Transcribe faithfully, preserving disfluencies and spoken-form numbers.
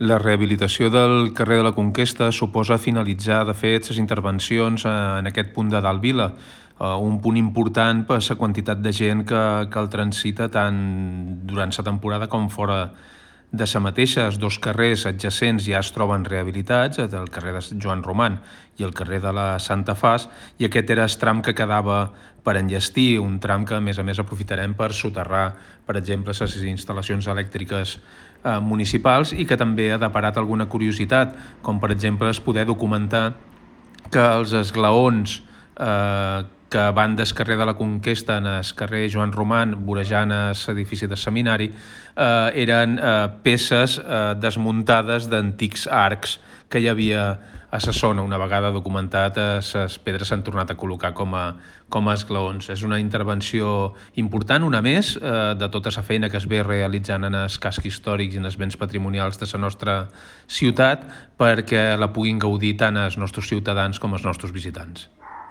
La rehabilitació del carrer de la Conquesta suposa finalitzar, de fet, les intervencions en aquest punt de Dalt Vila, un punt important per la quantitat de gent que, que el transita tant durant la temporada com fora de la mateixa. Els dos carrers adjacents ja es troben rehabilitats, el carrer de Joan Roman i el carrer de la Santa Fas, i aquest era el tram que quedava per enllestir, un tram que a més a més aprofitarem per soterrar, per exemple, les instal·lacions elèctriques eh, municipals, i que també ha deparat alguna curiositat, com per exemple es poder documentar que els esglaons eh, que van del carrer de la Conquesta en el carrer Joan Roman, vorejant l'edifici del seminari, eh, eren eh, peces eh, desmuntades d'antics arcs que hi havia a la zona. Una vegada documentat, les pedres s'han tornat a col·locar com a, com a esglaons. És una intervenció important, una més, eh, de tota la feina que es ve realitzant en els cascs històrics i en els béns patrimonials de la nostra ciutat, perquè la puguin gaudir tant els nostres ciutadans com els nostres visitants.